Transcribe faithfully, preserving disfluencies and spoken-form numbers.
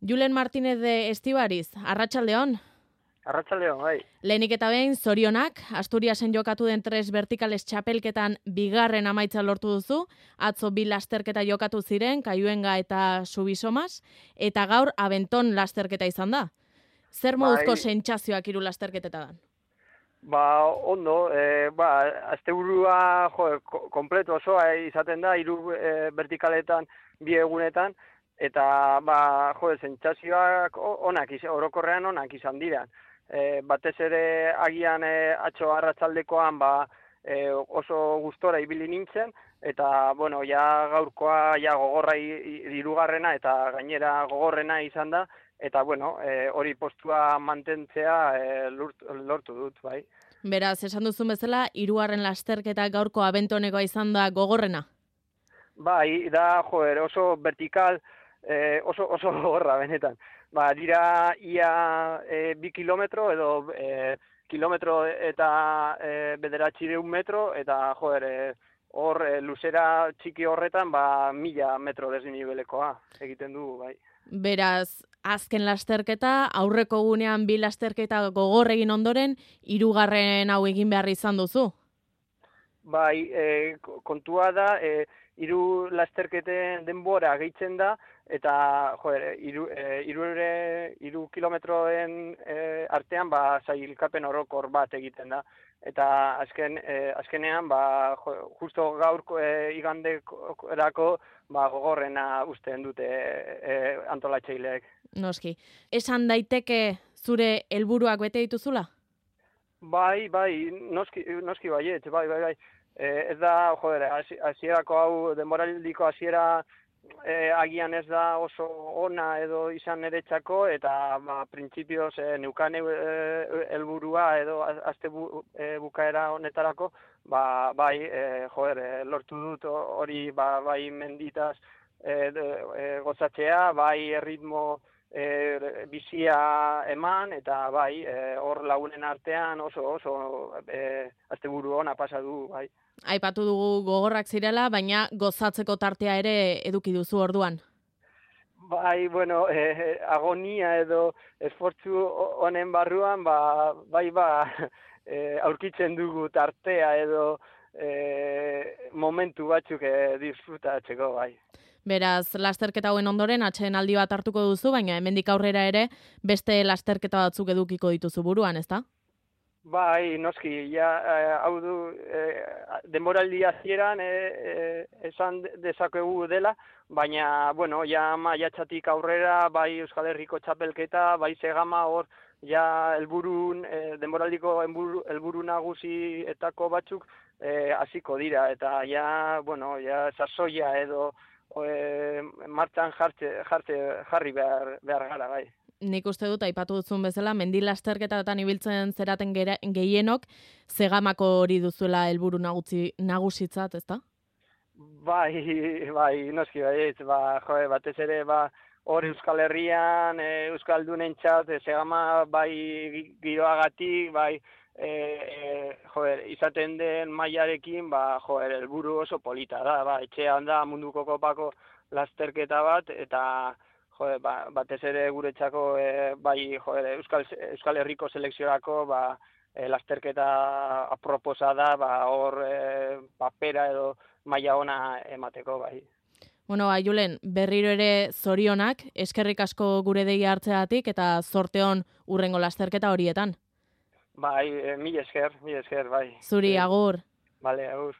Julen Martínez de Estibariz, arratsaldeon. Arratsaldeon, bai. Lehenik eta behin, zorionak, Asturiasen jokatu den tres vertikales txapelketan bigarren amaitza lortu duzu, atzo bi lasterketa jokatu ziren, Kaiuenga eta Subisomas, eta gaur Abenton lasterketa izan da. Zer moduzko Bai. sentsazioak hiru lasterketetan? Ba, ondo, e, ba, asteburua jo, kompleto osoa izaten da, hiru e, vertikaletan bi egunetan, eta ba, jo, sentsazioak onak, orokorrean onak izan dira. E, batez ere agian e, atzo arratsaldekoan ba, e, oso gustora ibili nintzen, eta bueno, ja gaurkoa ja gogorra hirugarrena eta gainera gogorrena izan da, eta bueno, e, hori postua mantentzea e, lortu, lortu dut, bai. Beraz, esan duzun bezala, hirugarren lasterketa gaurko Abentonekoa izan da gogorrena? Bai, da, joder, oso vertikal, e, oso, oso gogorra benetan. Ba, dira ia e, bi kilometro edo e, kilometro eta e, bederatzireun metro, eta joder, e, hor e, luzera txiki horretan ba, mila metro desnibelekoa egiten du, bai. Beraz, azken lasterketa, aurreko gunean bi lasterketa gogor egin ondoren, hirugarren hau egin behar izan duzu? Bai, e, kontua da, e, hiru lasterketen denbora gehitzen da, eta joder, hiru e, hiru kilometroen e, artean ba sailkapen orokor bat egiten da. Eta azken e, azkenean ba jo, justo gaurko e, iganderako ba gogorrena usten dute e, antolatzaileek. Noski. Esan daiteke zure helburuak bete dituzula? Bai, bai, noski noski baiet, bai, bai, bai. E, ez da, joder, hasierako hau denboraldiko hasiera e, agian ez da oso ona edo izan niretzako, eta ba, printzipioz e, neukan helburua edo aste bu, e, bukaera honetarako, ba, bai, e, joder, e, lortu dut hori ba, bai menditaz e, e, gozatzea, bai erritmo e, bizia eman, eta bai, hor e, lagunen artean oso oso e, asteburu ona pasa du, bai. Aipatu dugu gogorrak zirela, baina gozatzeko tartea ere eduki duzu orduan. Bai, bueno, eh, agonia edo esfortzu honen barruan, ba, bai, ba, eh, aurkitzen dugu tartea edo eh, momentu batzuk eh, disfrutatzeko, bai. Beraz, lasterketa hauen ondoren atxeen aldi bat hartuko duzu, baina hemendik aurrera ere beste lasterketa batzuk edukiko dituzu buruan, ezta? Bai, noski, ja, hau du, eh, denboraldi hasieran eh, eh, esan dezakegu dela, baina, bueno, ja maiatzatik aurrera, bai Euskal Herriko txapelketa, bai Segama hor, ja helburun, eh, denboraldiko helburu nagusietako batzuk hasiko eh, dira, eta ja, bueno, ja sasoia edo eh, martxan jartze, jartze, jarri behar, behar gara, bai. Nik uste dut, aipatu duzun bezala, mendi lasterketatan ibiltzen zeraten gehienok, Segamako hori duzuela helburu nagusitzat, ezta? Bai, bai, noski baiet, ba, joe, batez ere, ba, hor Euskal Herrian, e, Euskaldunentzat, e, Segama bai giroagatik, bai, e, e, joer, izaten den mailarekin, ba, joer, helburu oso polita da, ba, etxean da munduko kopako lasterketa bat, eta joder, ba, batez ere guretzako e, bai joder, Euskal, Euskal Herriko selekziorako ba, e, lasterketa aproposa da, ba, hor e, papera edo maila ona emateko, bai. Bueno, Julen, berriro ere zorionak, eskerrik asko gure deia hartzeatik eta zorte on hurrengo lasterketa horietan. Bai, e, mil esker, mil esker, bai. Zuri, agur. Vale, agur.